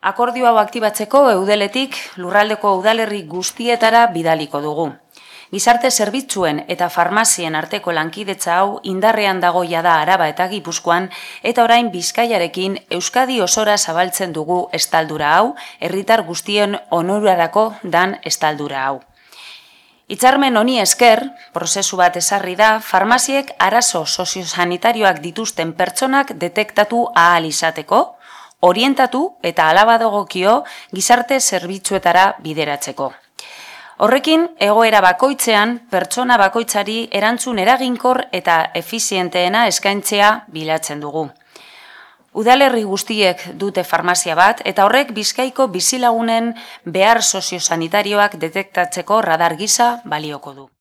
Akordio hau aktibatzeko Eudeletik lurraldeko udalerri guztietara bidaliko dugu. Gizarte zerbitzuen eta farmazien arteko lankidetza hau indarrean dago jada Araba eta Gipuzkoan eta orain Bizkaiarekin Euskadi osora zabaltzen dugu estaldura hau, herritar guztien onurarako dan estaldura hau. Hitzarmen honi esker, prozesu bat ezarri da, farmaziek arazo soziosanitarioak dituzten pertsonak detektatu ahal izateko, orientatu eta hala badagokio gizarte zerbitzuetara bideratzeko. Horrekin, egoera bakoitzean, pertsona bakoitzari erantzun eraginkor eta efizienteena eskaintzea bilatzen dugu. Udalerri guztiek dute farmazia bat eta horrek Bizkaiko bizilagunen behar soziosanitarioak detektatzeko radar gisa balioko du.